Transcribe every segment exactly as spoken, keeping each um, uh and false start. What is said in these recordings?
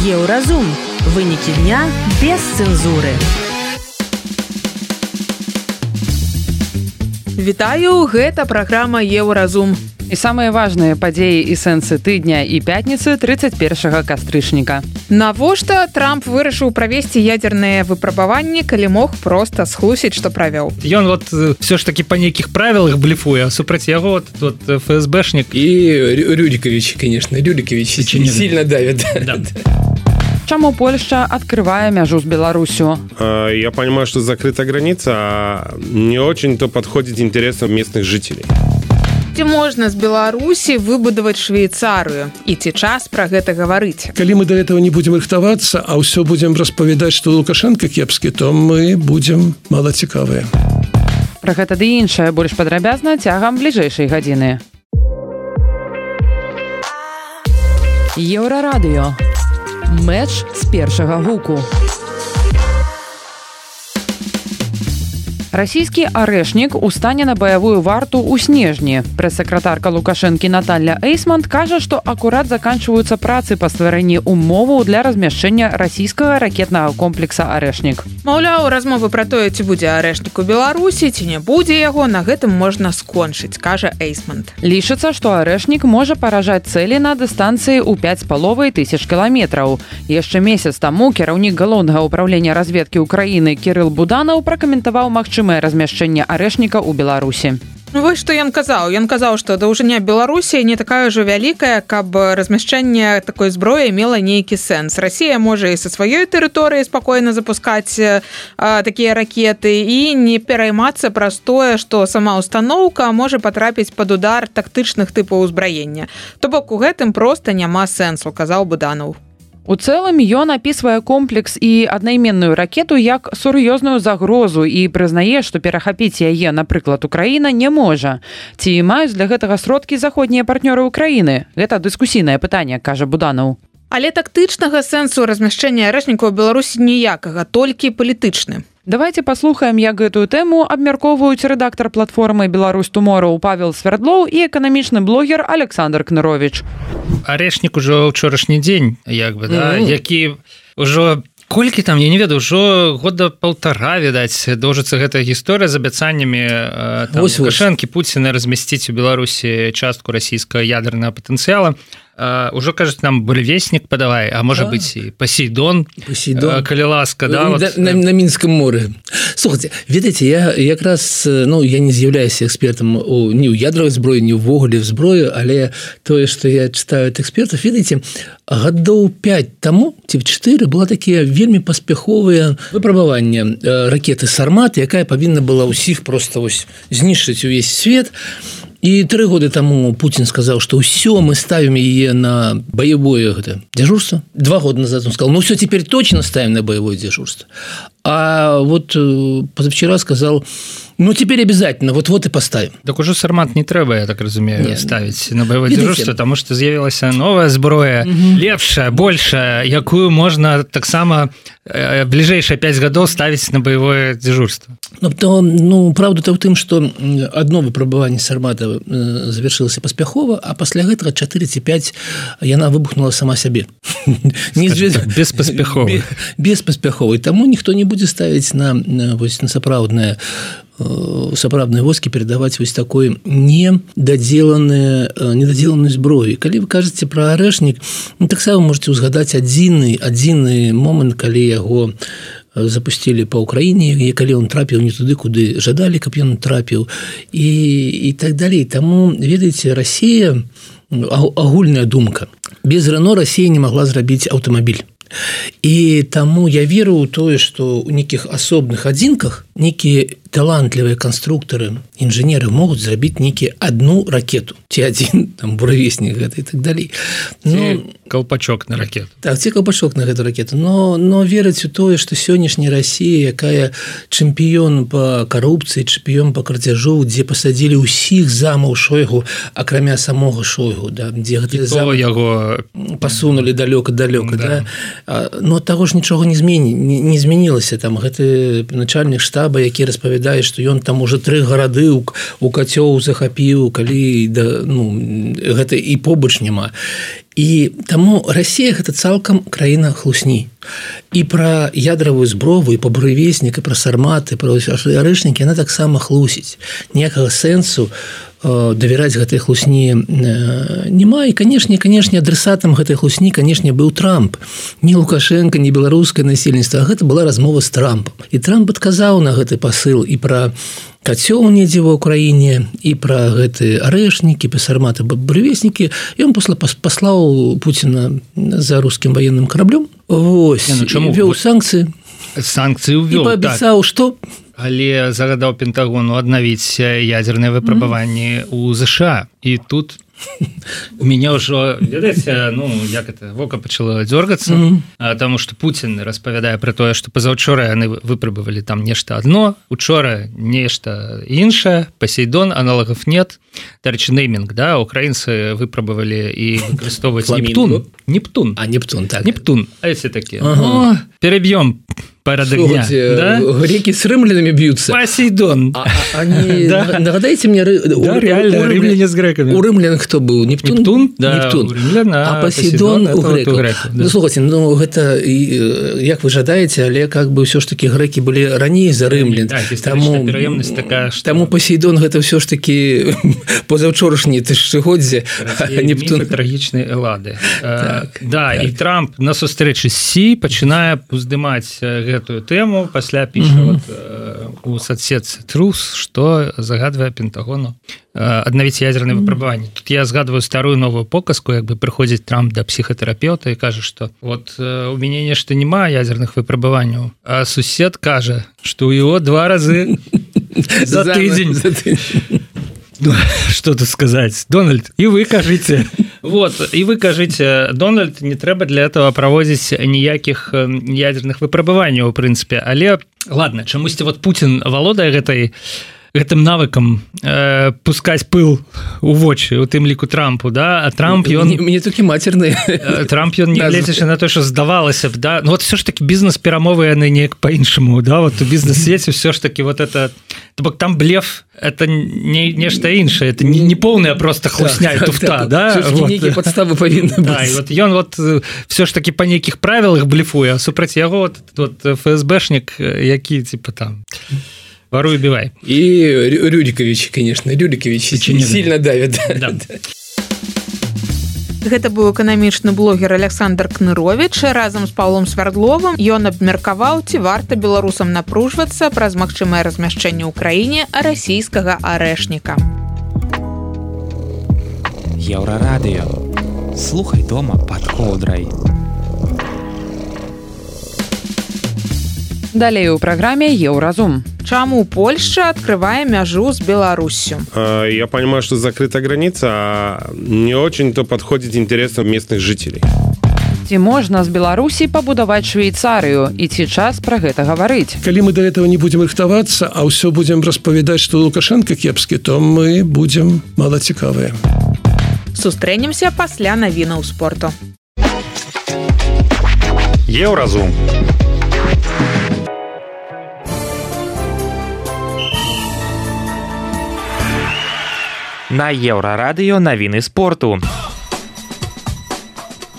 Еўразум. Вынікі дня без цэнзуры. Вітаю, гэта праграма Еўразум. І самыя важныя падзеі і сэнсы тыдня і пятніцы тридцать першага кастрычніка. Навошта Трамп вырашыў правесці ядерныя выпрабаванні, калі мог проста схлусіць, што правёў? Ён вот все ж таки па нейкіх правілах блефуе, а супраць яго вот, вот ФСБшнік. И Рюрикович, конечно, Рюрикович сильно давит. Да. Чаму Польша открывая мяжу с Беларусью? Я понимаю, что закрыта граница, а не очень-то подходит интересам местных жителей. Ці можна з Беларусі выбудаваць Швейцарыю? І ці час пра гэта гаварыць? Калі мы до этого не будем рыхтавацца, а ўсё будем распавядаць, што Лукашенко кепскі, то мы будем малацікавыя. Пра гэта ды іншае больш падрабязна цягам бліжэйшай гадзіны. Еўрарадыё. Мэч з першага гуку. Расійскі арэшнік устане на баявую варту ў снежні. Прэс-сакратарка Лукашэнкі Наталья Эйсмонт кажа, што акурат заканчваюцца працы па стварэнні умоваў для размяшчэння расійскага ракетнага комплекса «Арэшнік». Маўляў, размовы пра тое, ці будзе арэшнік у Беларусі, ці не будзе яго, на гэтым можна скончыць, кажа Эйсмонт. Лічыцца, што арэшнік можа паражаць цэлі на дыстанцыі ў пяць з паловай тысяч кіламетраў. Яшчэ месяц таму кіраўнік галоўнага ўправлення разведкі ўкраіны Кірыл Буданаў пракаментаваў магчымасць размяшчэння арэшніка ў Беларусі. Ну, вось што ён казаў. Ён казаў, што даўжыня Беларусі не такая ўжо вялікая, каб размяшчэнне такой зброі мела нейкі сэнс. Расія можа і са сваёй тэрыторыі спакойна запускаць а, такія ракеты і не пераймацца праз тое, што сама ўстаноўка можа патрапіць пад удар тактычных тыпаў узбраення. То бок у гэтым проста няма сэнсу, казаў Буданаў. У цэлым ён апісвае комплекс і аднайменную ракету як сур'ёзную загрозу і прызнае, што перахапіць яе, напрыклад, Украіна не можа. Ці маюць для гэтага сродкі заходнія партнёры Украіны? Гэта дыскусійнае пытанне, кажа Буданаў. Але тактычнага сэнсу размяшчэння арэшніка ў Беларусі ніякага, толькі палітычны. Давайте паслухаем, як гэтую тэму абмяркоўваюць рэдактар платформы «Беларусь Туморроу» Павел Свердлоў і эканамічны блогер Александр Кнырович. Арэшнік ужо ўчорашні дзень, як бы, да, mm-hmm. які ўжо колькі там, я не ведаю, ўжо года паўтара, відаць, доўжыцца гэтая гісторыя з абяцаннямі там, Лукашэнкі, Пуціна размясціць у Беларусі частку расійскага ядернага патэнцыяла. Uh, ужо, кажуць, нам буревеснік падавай, а можа а, быць і Посейдон, Посейдон. Uh, калі ласка, да? На, Вот, на, на Мінскім моры. Слухайте, ведаеце, я якраз, ну, я не з'яўляюся экспертам у, ні ў ядровай зброі, ні ўвогуле в зброю, але тое, што я читаю ад экспертаў, ведаеце, гадоў пяць таму, ці чатыры, была такія вельмі паспяховыя выпрабаванні ракеты «Сармат», якая павінна была ўсіх проста вось знішчыць увесь свет. И три года тому Путин сказал, что все, мы ставим ее на боевое это, дежурство. Два года назад он сказал, ну все, теперь точно ставим на боевое дежурство. А вот позавчера сказал, ну теперь обязательно, вот-вот и поставим. Так уже «Сармат» не трэба, я так разумею, Нет. ставить на боевое дежурство, потому что з'явілася новая зброя, угу. лепшая, большая, якую можно так само э, ближайшие пять годов ставить на боевое дежурство. Ну, то, ну правда-то в тым, что одно выпрабаванне «Сармата» завершылася паспяхова, а пасля гэтага чатыры ці пяць яна выбухнула сама сябе. Беспаспяхова. Беспаспяхова. І таму ніхто не будзе ставіць на, на, на сапраўднае сапраўдныя войскі перадаваць вось такой недадзеленую недадзеленую зброю. Калі вы кажаце пра арэшнік, ну, таксама можете ўзгадаць адзіны адзіны момант, калі яго запусцілі па ўкраіне, і калі ён трапіў не туды, куды жадалі, каб ён трапіў, і, і так далей. Таму, ведаеце, Расія, агульная думка, без Рено Расія не магла зрабіць аўтамабіль. І таму я веру ў тое, што ў нейкіх асобных адзінках нейкія талантлівыя канструктары, інжынеры могуць зрабіць нейкі адну ракету, ці адзін там буравеснік гэта і так далей. Ну, калпачок на ракету. Так, ці калпачок на гэту ракету. Но, но верыць у тое, што сённяшняя Расія, якая чэмпіён па карупцыі, чэмпіён па крадзяжу, дзе пасадзілі ўсіх замаў Шойгу, акрамя самога Шойгу, да, дзе гэты зам яго пасунулі далёка-далёка, да. да. Но ад таго ж нічога не змені, не, не змянілася. Там гэты начальнік штаба, які распавядае, што ён там уже тры гарады у, у кацёў захапіў, калі да, ну, гэта і побач няма. І таму Расія гэта цалкам краіна хлусні. І пра ядравую зброву, і па буревеснік, і пра сарматы, пра арэшнікі, яна таксама хлусіць. Ніякага сэнсу давяраць гэтай хлусні няма. І, канешне, канешне, адресатам гэтай хлусні, канешне, быў Трамп. Не Лукашенко, не беларускае насельніцтва, а гэта была размова з Трампам. І Трамп адказаў на гэты пасыл і пра кацёл недзе ва ўкраіне, і пра гэты арэшнікі, па сарматы, буревеснікі. Ён пасля паслаў Пуціна за рускім ваенным караблём. Вось, не, ну, вёў санкцыі. Санкцыі ўвёў, і паабяцаў, так. што... Але загадаў Пентагону аднавіць ядзерныя выпрабаванні ў ЗША. І тут у мяне ўжо, ведаеце, ну, як это, вока пачало дзёргацца, mm-hmm. таму што Пуцін распавядае пра тое, што пазаўчора яны выпрабавалі там нешта адно, учора нешта іншае, Посейдон, аналагов нет. Дарэчы, неймінг, да, украінцы выпрабавалі і выкарыстоўваць Нептун. Нептун. А, Нептун, так. Нептун, а эти такие. Ага. О, перебьем порядок дня. Да? Греки с римлянами бьются. Посейдон. А, а, они... да. Нагадайте мне... Да, у, реально, у, у римляне с греками. У римлян кто был? Нептун? Нептун, да, Нептун. У римлян, а, а Посейдон, Посейдон у греков. греков да. Ну, слушайте, ну, это, як вы жадаете, але как бы все ж таки греки были ранее за римлян. Да, историческая пераемность такая, что... Тому Посейдон это все ж таки позавчорашние тысячегодзе, а Нептун... Мифы трагичной Эллады. Так, да, так. И Трамп на сустрэчы з Сі пачынае уздымаць гэтую тэму, пасля піша mm-hmm. вот, э, у соцсетцы Трус, што загадвае Пентагону э, аднавіць ядзерныя mm-hmm. выпрабаванні. Тут я згадваю старую новую показку, як бы прыходзіць Трамп да псіхатэрапеўта і кажа, што вот э, у мяне нешта няма ядзерных выпрабаванняў, а сусед кажа, што ў яго два разы за тыдзень. Что тут сказать? Дональд, и вы кажите. Вот, и вы кажите, Дональд, не трэба для этого праводзіць ніякіх ядерных выпрабаванняў, у прынцыпе. Але, ладно, чамусьці вот Путин валодае гэтай гэтым навыкам э, пускаць пыл у вочы, у тым ліку Трампу, да, а Трамп ён... Мне, мне толькі мацерныя. Трамп ён не гледзячы на то, што здавалася б, да, ну вот все ж таки бізнес-перамовы яны неяк па-іншаму, да, вот у бізнес-свеце все ж таки вот это, то бок там блеф, это не нешта іншае, это не, не полная просто хлусня і туфта, да. Все ж таки нейкія падставы павінны быць. Да, і вот ён вот все ж таки па нейкіх правілах блефуе, а супраць яго вот, вот ФСБшнік, які типа там... Воруй, убивай. И Рюрикович, конечно, Рюрикович сильно давит. Да. Гэта быў эканамічны блогер Александр Кнырович разам з Паўлом Свярдловым. Ён абмеркаваў, ці варта беларусам напружвацца праз магчымае размяшчэнне ў краіне расійскага арэшніка. Еўрарадыё. Слухай дома пад коўдрай. Далей у праграме Еўразум. Чаму Польша открывае мяжу с Беларусью? Я понимаю, что закрыта граница, а не очень-то подходит интересам местных жителей. Ці можна з Беларусі пабудаваць Швейцарыю, і ці час пра гэта гаварыць? Калі мы да этого не будем рыхтавацца, а ўсё будем распавядаць, што Лукашенко кепскі, то мы будем малацікавыя. Сустрэнемся пасля навінаў спорту. Еўразум. На Еўрарадыё навіны спорту.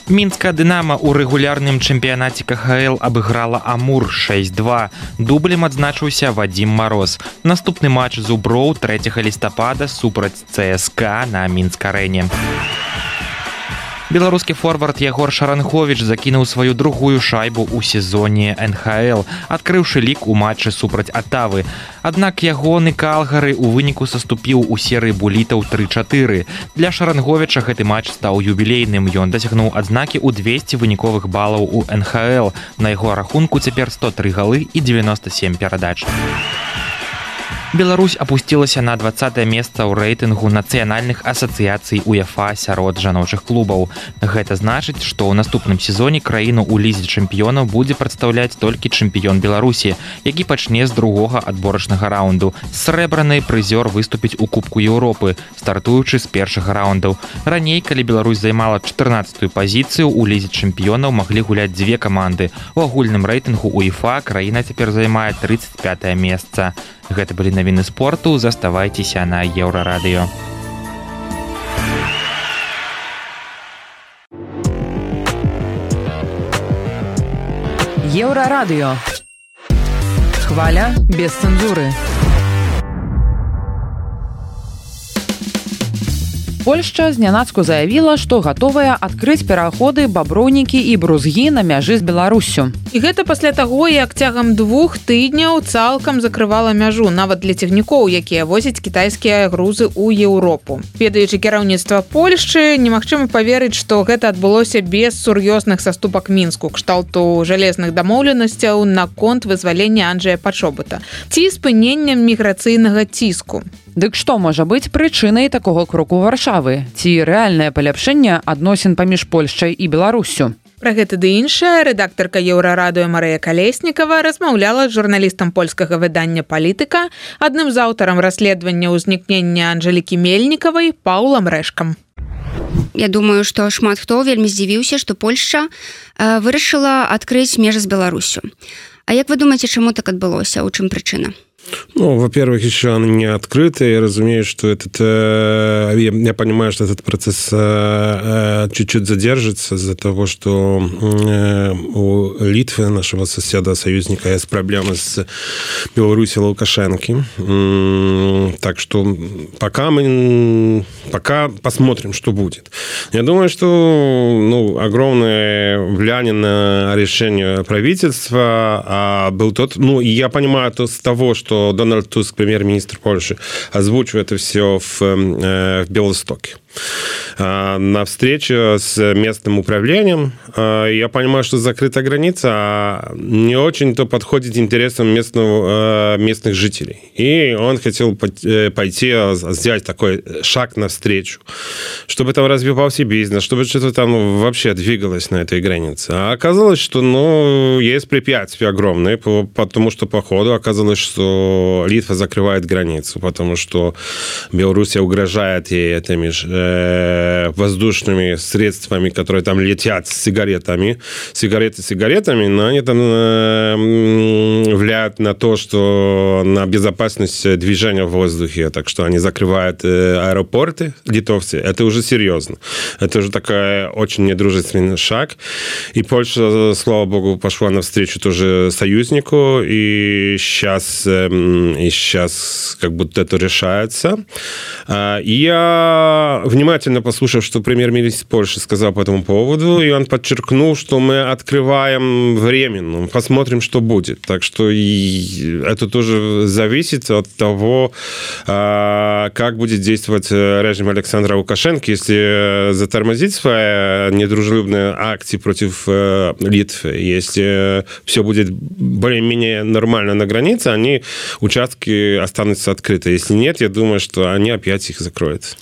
Мінская «Дынама» у рэгулярным чэмпіянаце ка ха эл абыграла «Амур» шэсць два. Дублем адзначыўся Вадзім Мароз. Наступны матч зуброў трэцяга лістапада супраць цэ эс ка на Мінск-арэне. Беларускі форвард Ягор Шаранховіч закінуў сваю другую шайбу ў сезоне эн ха эл, адкрыўшы лік у матчы супраць Атавы. Аднак ягоны Калгары ў выніку саступіў у серыі булітаў тры чатыры. Для Шаранховіча гэты матч стаў юбілейным. Ён дасягнуў адзнакі ў двесце выніковых балаў у эн ха эл. На яго рахунку цяпер сто тры галы і дзевяноста сем перадач. Беларусь апусцілася на дваццатае месца ў рэйтынгу нацыянальных асацыяцый УЕФА сярод жаночых клубаў. Гэта значыць, што ў наступным сезоне краіну ў лізе чэмпіёнаў будзе прадстаўляць толькі чэмпіён Беларусі, які пачне з другога адборачнага раунду. Срэбраны прызёр выступіць у Кубку Еўропы, стартуючы з першага раўндаў. Раней, калі Беларусь займала чатырнаццатую пазіцыю, у лізе чэмпіёнаў маглі гуляць дзве каманды. У агульным рэйтынгу УЕФА краіна цяпер займае трыццаць пятае месца. Гэта былі навіны спорту, заставайцеся на Еўрарадыё. Еўрарадыё. Хваля без цэнзуры. Польшча знянацку заявіла, што гатовая адкрыць пераходы, баброўнікі і брузгі на мяжы з Беларуссю. І гэта пасля таго, як цягам двух тыдняў цалкам закрывала мяжу, нават для цягнікоў, якія возяць кітайскія грузы ў Еўропу. Ведаючы кіраўніцтва Польшчы, немагчыма паверыць, што гэта адбылося без сур'ёзных саступак Мінску, кшталту жалезных дамоўленасцяў наконт вызвалення Анджэя Пачобута ці спынення міграцыйнага ціску. Дык што можа быць прычынай такога кроку Варшавы? Ці рэальнае паляпшэнне адносін паміж Польшчай і Беларуссю? Пра гэта ды іншае рэдактарка Еўрарадыё Марыя Калеснікава размаўляла з журналістам польскага выдання «Палітыка», адным з аўтарам расследавання ўзнікнення Анжэлікі Мельнікавай Паўлам Рэшкам. Я думаю, што шмат хто вельмі здзівіўся, што Польшча э, вырашыла адкрыць межы з Беларуссю. А як вы думаеце, чаму так адбылося? У чым прычына? Ну, во-первых, еще она не открыта. Я разумею, что этот... Э, я, я понимаю, что этот процесс э, чуть-чуть задержится из-за того, что э, у Литвы, нашего соседа, союзника, есть проблемы с Беларусью Лукашенко. Э, так что пока мы... Пока посмотрим, что будет. Я думаю, что ну, огромное влияние на решение правительства а был тот... Ну, и я понимаю то с того, что Дональд Туск, премьер-министр Польши, озвучивает это все в, в Белостоке. На встрече с местным управлением я понимаю, что закрытая граница не очень-то подходит интересам местного, местных жителей. И он хотел пойти, сделать такой шаг навстречу, чтобы там развивался бизнес, чтобы что-то там вообще двигалось на этой границе. А оказалось, что ну, есть препятствия огромные, потому что по ходу оказалось, что Литва закрывает границу, потому что Белоруссия угрожает ей этими же воздушными средствами, которые там летят с сигаретами, сигареты с сигаретами, но они там э, влияют на то, что на безопасность движения в воздухе, так что они закрывают э, аэропорты, литовцы, это уже серьезно. Это уже такой очень недружественный шаг. И Польша, слава богу, пошла навстречу тоже союзнику, и сейчас, э, и сейчас как будто это решается. И я внимательно послушав, что премьер-министр Польши сказал по этому поводу, и он подчеркнул, что мы открываем временно, посмотрим, что будет. Так что и это тоже зависит от того, как будет действовать режим Александра Лукашенко, если затормозить свои недружелюбные акции против Литвы, если все будет более-менее нормально на границе, они, участки останутся открыты. Если нет, я думаю, что они опять их закроют.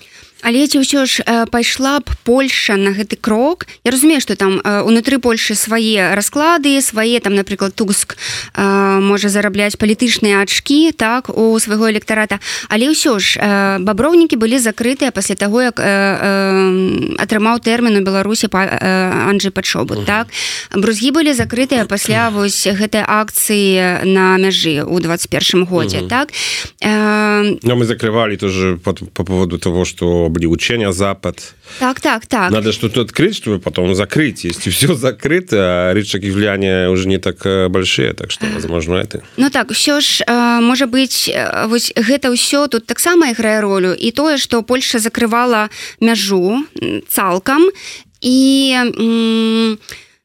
Але ці ўсё ж пайшла б Польша на гэты крок? Я разумею, што там унутры Польшы свае расклады, свае, там, напрыклад, Туск можа зарабляць палітычныя ачкі, так, у свайго электарата. Але ўсё ж баброўнікі былі закрытыя пасля таго, як атрымаў тэрмін у Беларусі Анджэй Пачобут, так? Брузгі былі закрытыя пасля вось гэтай акцыі на мяжы ў двадцать первом годзе, так? Но мы закрывали тоже по, по поводу того, что были учения Запад. Так, так, так. Надо что-то открыть, чтобы потом закрыть. Если все закрыто, а рычаги влияния уже не так большие, так что, возможно, это... Ну так, все ж, может быть, вот это все тут так само играет роль. И то, что Польша закрывала мяжу цалком, и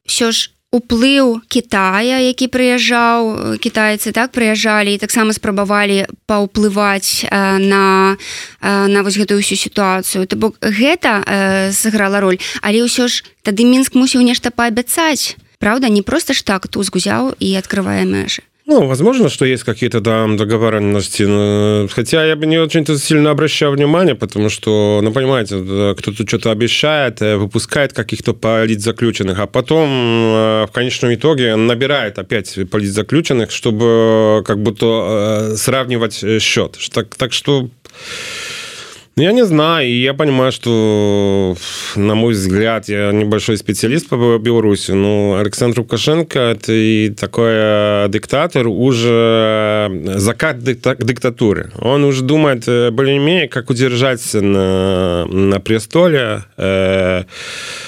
все ж уплыў Китая, які прыязджаў, кітайцы так прыязджалі і таксама спрабавалі паўплываць на, на вось гэтую ўсю сітуацыю. То бок гэта сыграла роль, але ўсё ж тады Мінск мусіў нешта паабяцаць. Правда, не просто ж так Туск узяў і открывае межы. Ну, возможно, что есть какие-то там договоренности, но... хотя я бы не очень-то сильно обращал внимание, потому что, ну, понимаете, кто-то что-то обещает, выпускает каких-то политзаключенных, а потом в конечном итоге набирает опять политзаключенных, чтобы как будто сравнивать счет. Так, так что... Я не знаю, и я понимаю, что, на мой взгляд, я небольшой специалист по Беларуси, но Александр Лукашенко – это и такой диктатор, уже закат диктатуры. Он уже думает более-менее, как удержаться на, на престоле, э,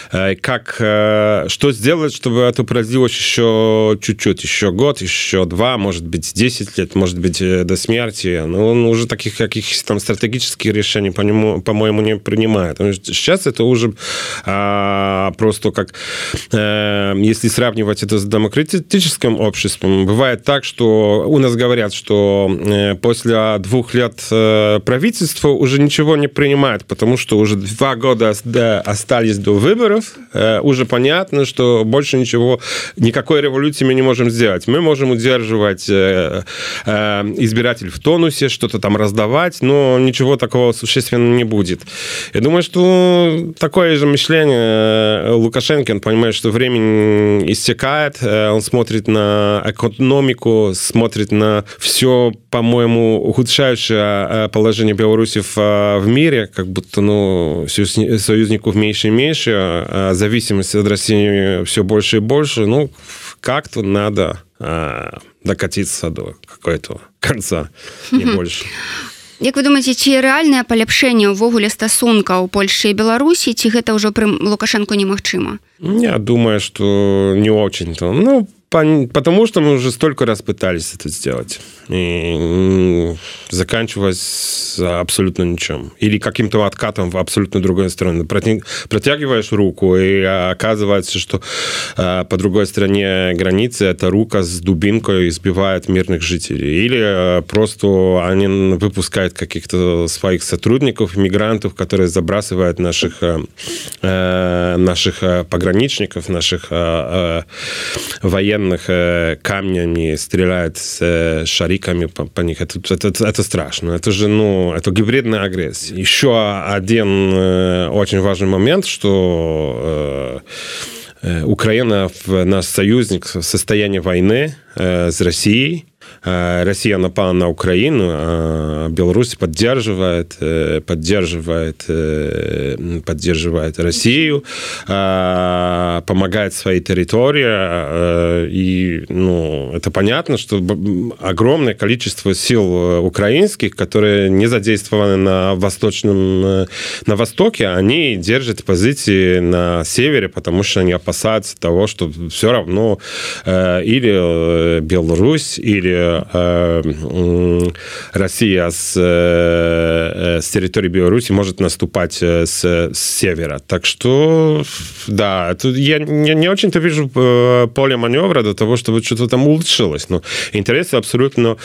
как, что сделать, чтобы это продлилось еще чуть-чуть, еще год, еще два, может быть, десять лет, может быть, до смерти. Но он уже таких каких-то там стратегических решений, по нему, по-моему, не принимает. Сейчас это уже а, просто как, а, если сравнивать это с демократическим обществом, бывает так, что у нас говорят, что после двух лет правительства уже ничего не принимает, потому что уже два года остались до выборов, уже понятно, что больше ничего, никакой революции мы не можем сделать. Мы можем удерживать избирателей в тонусе, что-то там раздавать, но ничего такого существенного не будет. Я думаю, что такое же мышление Лукашенко, он понимает, что время истекает, он смотрит на экономику, смотрит на все, по-моему, ухудшающее положение Беларуси в, в мире, как будто, ну, союзников меньше и меньше, а зависимость от России все больше и больше. Ну, как-то надо а, докатиться до какого-то конца, не больше. Як вы думаеце, ці рэальнае паляпшэнне ўвогуле стасункаў Польшчы і Беларусі, ці гэта ўжо пры Лукашенко немагчыма? Я думаю, что не очень-то. Ну, потому что мы уже столько раз пытались это сделать. И заканчивалось абсолютно ничем. Или каким-то откатом в абсолютно другой стороне. Протягиваешь руку, и оказывается, что по другой стороне границы эта рука с дубинкой избивает мирных жителей. Или просто они выпускают каких-то своих сотрудников, мигрантов, которые забрасывают наших, наших пограничников, наших военных камнями, стреляют с шариками по, по них. Это, это, это страшно. Это же, ну, это гибридная агрессия. Еще один очень важный момент, что Украина, наш союзник, в состоянии войны с Россией. Россия напала на Украину, а Беларусь поддерживает, поддерживает, поддерживает Россию, помогает своей территории. И, ну, это понятно, что огромное количество сил украинских, которые не задействованы на восточном, на востоке, они держат позиции на севере, потому что они опасаются того, что все равно или Беларусь, или Россия с, с территории Беларуси может наступать с, с севера. Так что, да, это, я, я не очень-то вижу поле маневра до того, чтобы что-то там улучшилось. Но интересы абсолютно,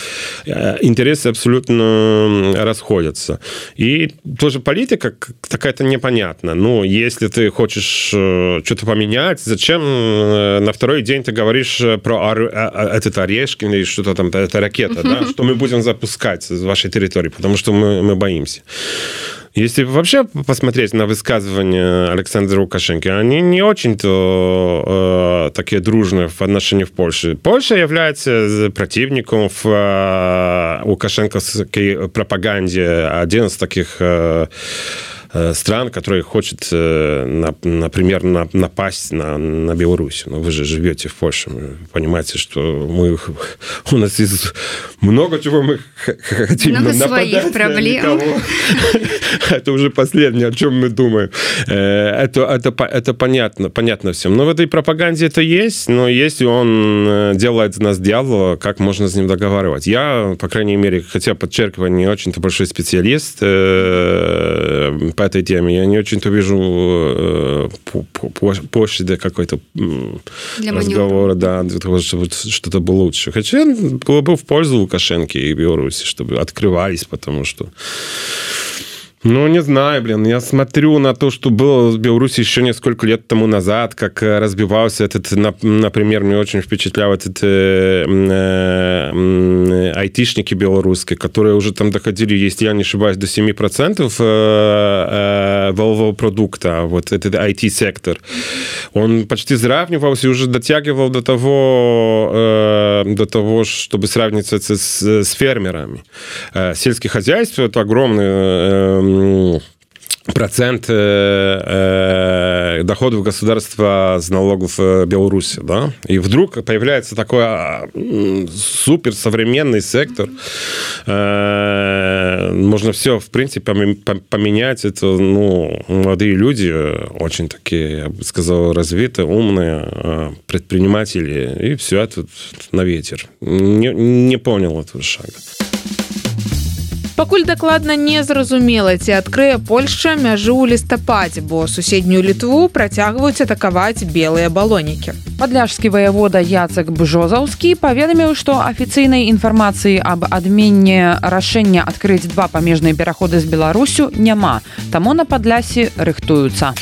интересы абсолютно расходятся. И тоже политика какая-то непонятна. Ну, если ты хочешь что-то поменять, зачем на второй день ты говоришь про этот Орешкин или что-то там, это ракета, да, что мы будем запускать с вашей территории, потому что мы, мы боимся. Если вообще посмотреть на высказывания Александра Лукашенко, они не очень-то э, такие дружные в отношении в Польше. Польша является противником в э, лукашенковской пропаганде. Один из таких э, стран, которые хочет, например, напасть на, на Беларусь. Но вы же живете в Польше, вы понимаете, что мы, у нас есть много чего мы хотим много нападать своих проблем. Это уже последнее, о чем мы думаем. Это, это, это понятно, понятно всем. Но в этой пропаганде это есть, но если он делает из нас дьявола, как можно с ним договаривать? Я, по крайней мере, хотя подчеркиваю, не очень-то большой специалист по этой теме. Я не очень-то вижу э, площади какой-то для разговора, да, для того, чтобы что-то было лучше. Хотя было бы в пользу Лукашенко и Беларуси, чтобы открывались, потому что ну, не знаю, блин, я смотрю на то, что было в Беларуси еще несколько лет тому назад, как разбивался этот, например, мне очень впечатлял этот э, э, айтишники белорусские, которые уже там доходили, если я не ошибаюсь, до семь процентов э, э, валового продукта, вот этот ай ти-сектор. Он почти сравнивался и уже дотягивал до того, э, до того, чтобы сравниться с, с фермерами. Э, сельское хозяйство – это огромный э, процент э, доходов государства с налогов Беларуси, да, и вдруг появляется такой суперсовременный сектор, можно все, в принципе, поменять, это, ну, молодые люди, очень такие, я бы сказал, развитые, умные предприниматели, и все это на ветер. Не, не понял этого шага. Пакуль дакладна не зразумела, ці адкрые Польшча мяжу ў лістападзе, бо суседнюю Літву працягваюць атакаваць белыя балонікі. Падляшскі ваявода Яцек Бжозаўскі паведаміў, што афіцыйнай інфармацыі аб адменне рашэння адкрыць два памежныя пераходы з Беларусю няма, таму на Падлясі рыхтуюцца.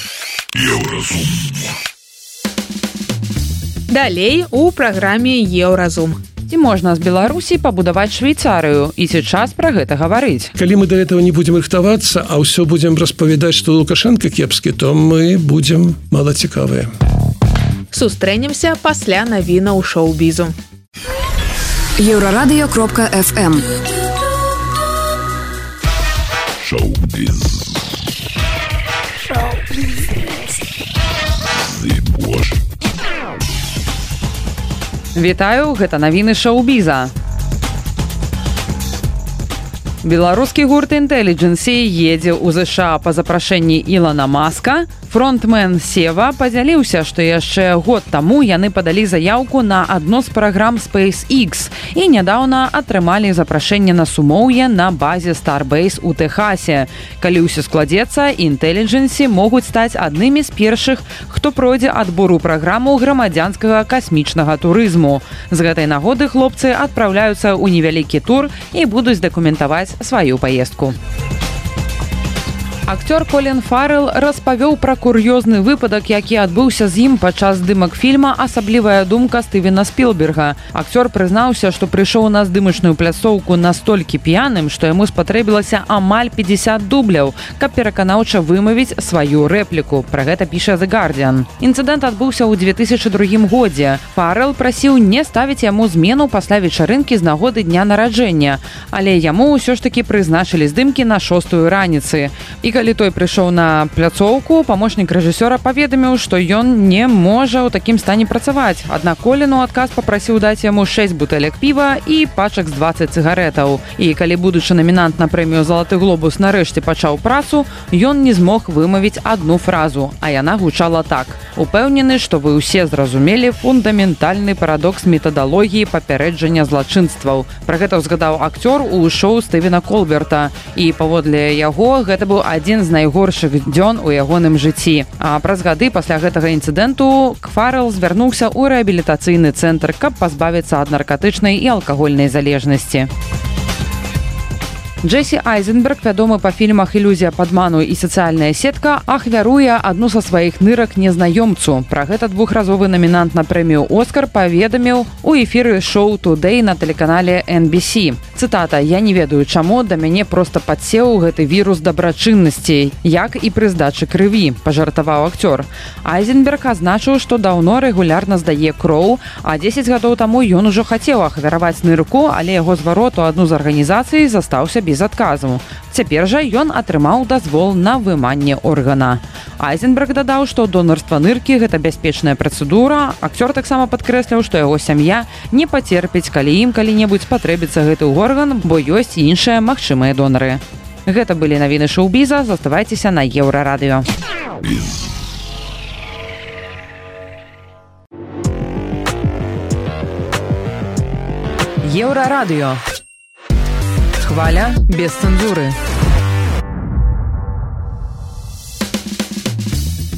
Далей у праграме Еўразум. Ці можна з Беларусі пабудаваць Швейцарыю, і ці час пра гэта гаварыць? Калі мы да этого не будзем рыхтавацца, а ўсё будзем распавядаць, што Лукашенко кепскі, то мы будзем малацікавыя. Сустрэнемся пасля навінаў шоу-бізу. Еўрарадыё кропка эф эм. Шоу-біз. Шоу-біз. Зыбош. Вітаю, гэта навіны шоу-біза. Беларускі гурт Intelligence едзе ў ЗША па запрашэнні Ілана Маска. Фронтмен Сева падзяліўся, што яшчэ год таму яны падалі заяўку на адно з праграм SpaceX і нядаўна атрымалі запрашэнне на сумоўе на базе Starbase у Тэхасе. Калі ўсё складзецца, Intelligence могуць стаць аднымі з першых, хто пройдзе адбор у праграму грамадзянскага касмічнага турызму. З гэтай нагоды хлопцы адпраўляюцца ў невялікі тур і будуць дакументаваць сваю паездку. Акцёр Колін Фаррелл распавёў пра кур'ёзны выпадак, які адбыўся з ім падчас здымак фільма «Асаблівая думка» Стывена Спілберга. Акцёр прызнаўся, што прыйшоў на здымачную пляцоўку настолькі п'яным, што яму спатрэбілася амаль пятьдесят дубляў, каб пераканаўча вымавіць сваю рэпліку. Пра гэта піша The Guardian. Інцыдэнт адбыўся ў две тысячы другім годзе. Фаррелл прасіў не ставіць яму змену пасля вечарынкі з нагоды дня нараджэння, але яму ўсё ж такі прызначылі здымкі на шостую раніцы. І калі той прыйшоў на пляцоўку, памочнік рэжысёра паведаміў, што ён не можа ў такім стане працаваць. Аднак Колін у адказ папрасіў даць яму шэсць бутэлек піва і пачак з дваццаць цыгарэтаў. І калі будучы намінант на прэмію «Залаты глобус» нарэшце пачаў працу, ён не змог вымавіць адну фразу, а яна гучала так: «Упэўнены, што вы ўсе зразумелі фундаментальны парадокс метадалогіі папярэджання злачынстваў». Пра гэта ўзгадаў акцёр у шоу Стывена Колберта. І паводле яго гэта быў адзін з найгоршых дзён у ягоным жыцці. А праз гады пасля гэтага інцыдэнту Фаррелл звярнуўся ў рэабілітацыйны цэнтр, каб пазбавіцца ад наркатычнай і алкагольнай залежнасці. Джесі Айзенберг, вядомы па фільмах «Ілюзія падману» і «Сацыяльная сетка», ахвяруе адну са сваіх нырак незнаёмцу. Пра гэта двухразовы намінант на прэмію «Оскар» паведаміў у эфіры шоу «Today» на тэлеканале эн би си. Цытата: «Я не ведаю, чаму да мяне проста падсеў гэты вірус дабрачыннасці, як і пры здачы крыві», пажартаваў акцёр. Айзенберг азначыў, што даўно рэгулярна здае кроў, а дзесяць гадоў таму ён ужо хацеў ахвяраваць нырку, але яго зварот у адну з арганізацый застаўся без адказу. Цяпер жа ён атрымаў дазвол на выманне органа. Айзенберг дадаў, што донарства ныркі – гэта бяспечная працэдура. Акцёр таксама падкрэсліў, што яго сям'я не пацерпіць, калі ім калі-небудзь спатрэбіцца гэты орган, бо ёсць іншыя магчымыя донары. Гэта былі навіны шоу-біза. Заставайцеся на Еўрарадыё. Еўрарадыё. Хваля без цэнзуры.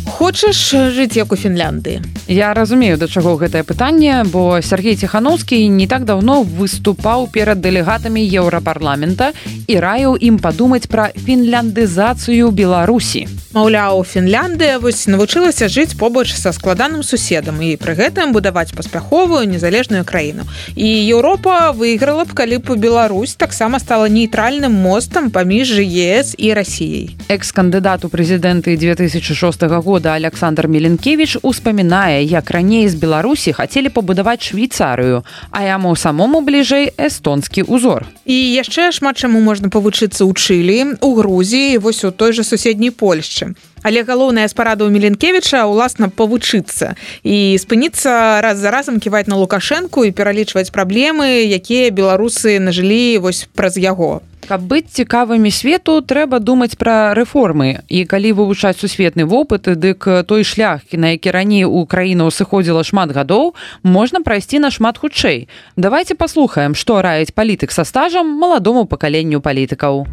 Хочаш жыць як у Фінляндыі? Я разумею, да чаго гэтае пытанне, бо Сергей Ціханаўскі не так даўно выступаў перад дэлегатамі Еўрапарламента і раіў ім падумаць пра фінляндызацыю Беларусі. Маўляў, Фінляндыя вось навучылася жыць побач са складаным суседам і пры гэтым будаваць паспяховую незалежную краіну. І Еўропа выйграла б, калі б Беларусь таксама стала нейтральным мостам паміж ЕС і Расіяй. Экс-кандыдат у прэзідэнты две тысячы шостага года Александр Меленкевич успамінае, як раней з Беларусі хацелі пабудаваць Швейцарыю, а яму самому бліжэй эстонскі ўзор. І яшчэ шмат чаму можна павучыцца ў Чылі, у Грузіі, вось у той жа суседняй Польшчы. Але галоўная з парадаў Меленкевіча уласна павучыцца і спыніцца раз за разам ківаць на Лукашэнку і пералічваць праблемы, якія беларусы нажылі вось праз яго. Каб быць цікавымі свету, трэба думаць пра рэформы. І калі вывучаць сусветны вопыт, дык той шлях, на які раней у краіну сыходзіла шмат гадоў, можна прайсці нашмат хутчэй. Давайте паслухаем, што раіць палітык са стажам маладому пакаленню палітыкаў.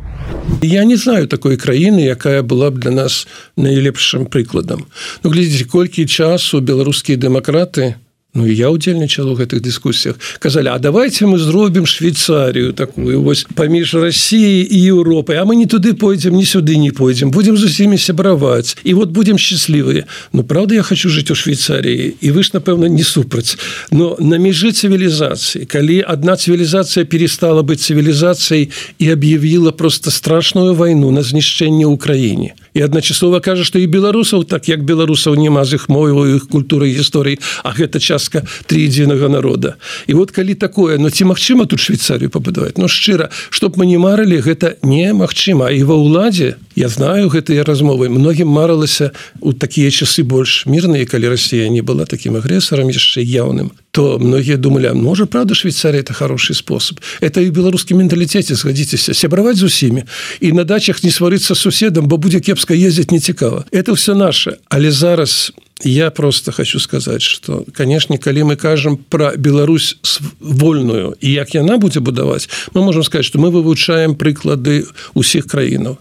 Я не знаю такой краіны, якая была б для нас найлепшым прыкладам. Ну, глядзіце, колькі часу беларускія дэмакраты, ну і я удзельнічаў у гэтых дыскусіях, казалі, а давайте мы зробім Швейцарію такую вось паміж Россией і Еўропай, а мы не туды пойдзем, ні сюды не пойдзем, будем з усімі сябраваць і вот будем счастливыя. Ну, правда, я хочу жыць у Швейцаріі, і вы ж, напэўна, не супраць. Но на межы цывілізацыі, калі адна цывілізацыя перестала быць цывілізацыяй і аб'явіла просто страшную вайну на знішчэнне ўкраіне, і адначасова кажа, што і беларусаў, так як беларусаў няма з іх моваю, іх культурай, гісторыі, а гэта частка трыедзінага народа. І вот калі такое, ну ці магчыма тут Швейцарію пабудаваць? Ну шчыра, чтоб мы не марылі, гэта немагчыма. І ва ўладзе, я знаю гэтыя размовы, многім марылася у такія часы больш мірныя, калі Россия не была таким агрэсарам яшчэ яўным, то многие думали, а может, правда, Швейцария – это хороший способ. Это и в белорусском менталитете, сгодитесь, сябраваць з усімі. И на дачах не сварыцца з суседам, бо будзе кепска ездить не цікава. Это все наше. Але зараз я просто хочу сказать, что, конечно, калі мы кажем про Беларусь вольную, и як яна будзе будаваць, мы можем сказать, что мы вывучаем прыклады усіх краінаў.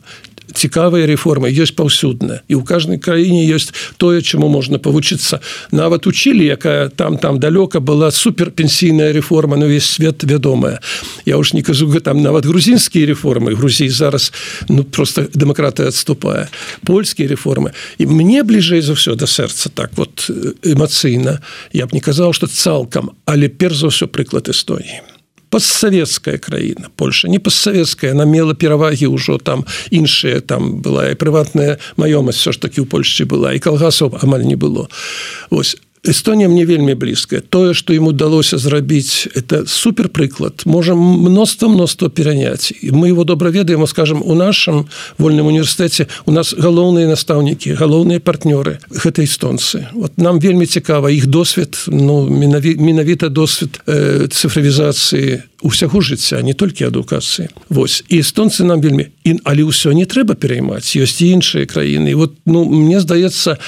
Цікавыя рэформы ёсць паўсюдна, і ў кожнай краіне ёсць тое, чаму можна павучыцца. Нават у Чылі, якая там там далёка была суперпенсійная рэформа, на ўвесь свет вядомая. Я уж не кажу, там нават грузінскія рэформы, Грузіі зараз ну просто дэмакратыя адступае. Польскія рэформы. І мне бліжэй за ўсё да сэрца так вот эмацыйна. Я б не казаў, што цалкам, але перш за ўсё прыклад Эстоніі. Постсоветская краіна, Польша, не постсоветская, она мела перавагі ўжо там іншыя, там была і прыватная маёмасць, все ж таки ў Польшчы была, і калгасаў амаль не было. Вось. Эстонія мне вельмі блізкая. Тое, што ім удалося зрабіць, это суперпрыклад. Можем мноства-мноства пераняць. І мы его добра ведаем, скажем, у нашым вольным універсітэце у нас галоўныя настаўнікі, галоўныя партнёры, гэта эстонцы. Вот нам вельмі цікава іх досвед, ну, менавіта досвед э, цифровізацыі усяго жыцця, не толькі адукацыі. Вось. І эстонцы нам вельмі... І, але ўсё не трэба пераймаць. Ёсць і іншыя краіны. І вот, ну, мне здаецца,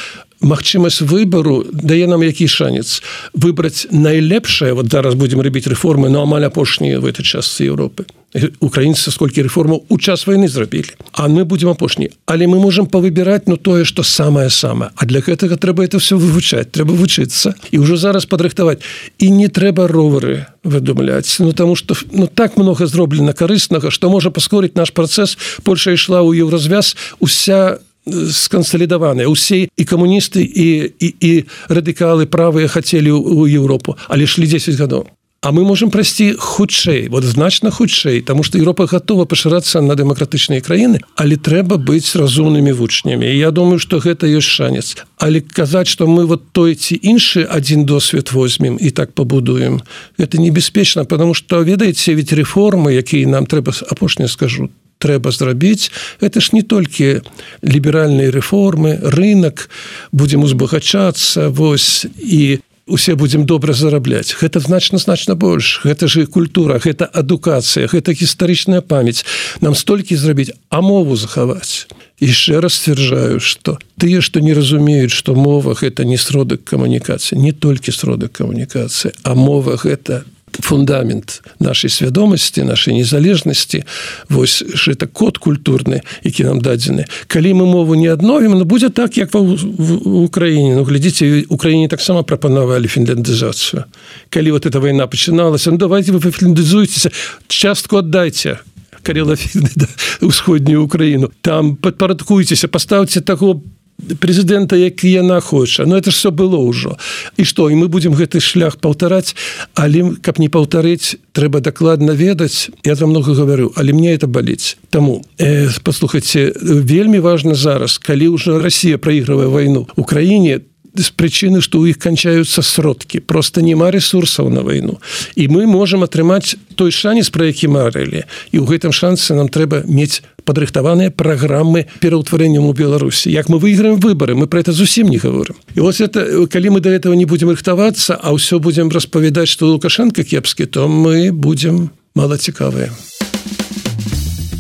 магчымасць выбару дае нам які шанец выбраць найлепшае, вот зараз будзем рабіць рэформы, но амаль апошнія в этой частцы Европы. Украінцы сколькі рэформаў у час вайны зрабілі, а мы будзем апошні. Але мы можем павыбіраць ну тое, што самае-самае. А для гэтага трэба это все вывучаць, трэба вучыцца і ўжо зараз падрыхтаваць. І не трэба ровары выдумляць, ну таму што ну так много зроблена карыснага, што можа паскорыць наш працэс. Польша ішла ў еўразвяз, уся скансалідаваныя. Усе і камуністы, і, і, і радыкалы правыя хацелі ў Еўропу, але ішлі дзесяць гадоў. А мы можем прайсці хутчэй, вот значна хутчэй, таму што Еўропа гатова пашырацца на дэмакратычныя краіны, але трэба быць разумнымі вучнямі. І я думаю, што гэта ёсць шанец. Але казаць, што мы вот той ці іншы адзін досвед возьмем і так пабудуем, гэта небяспечна, потому што, ведаеце, ведь рэформы, якія нам трэба, апошнія скажу, трэба зрабіць, это ж не толькі ліберальныя рэформы, рынок, будзем узбагачацца, вось, і усе будзем добра зарабляць. Гэта значна-значна больш. Гэта ж і культура, гэта адукацыя, гэта гістарычная памяць. Нам столькі зрабіць, а мову захаваць. Яшчэ раз сцвярджаю, што тыя, што не разумеюць, што мова гэта не сродак камунікацыі, не толькі сродак камунікацыі, а мова гэта фундамент нашай свядомасці, нашай незалежнасці, вось гэта код культурны, які нам дадзены. Калі мы мову не адновім, ну будзе так, як в Украіне. Ну, глядзіце, Украіне таксама прапанавалі фінляндызацыю. Калі вот эта вайна пачыналася, ну давайте вы фінляндызуйцеся, частку аддайце карелафільны, да, усходнюю Украіну. Там падпарадкуйцеся, паставце таго прэзідэнта, які яна хоча. Ну это ж все было ўжо. І што, і мы будзем гэты шлях паўтараць, але каб не паўтарыць, трэба дакладна ведаць. Я там много гаварю, але мне это баліць. Таму э, паслухайце, вельмі важна зараз, калі ўжо Расія праігрывае вайну ў краіне, з прычыны, што ў іх канчаюцца сродкі, просто няма ресурсаў на вайну, і мы можам атрымаць той шанец, пра які марылі, і ў гэтым шансе нам трэба мець падрыхтаваныя праграмы пераўтварэннем у Беларусі. Як мы выйграем выбары, мы про это зусім не говорим. І вот это, калі мы до этого не будем рыхтавацца, а ўсё будем распавядаць, што Лукашенко кепскі, то мы будем малацікавыя.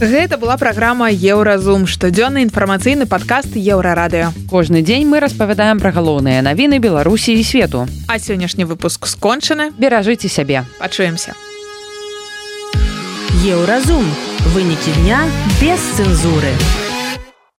Гэта была праграма Еўразум, штодзённы інфармацыйны падкаст Еўрарадыё. Кожны дзень мы распавядаем пра галоўныя навіны Беларусі і свету. А сённяшні выпуск скончаны. Беражыце сябе. Пачуемся. Еўразум. Вынікі дня без цэнзуры.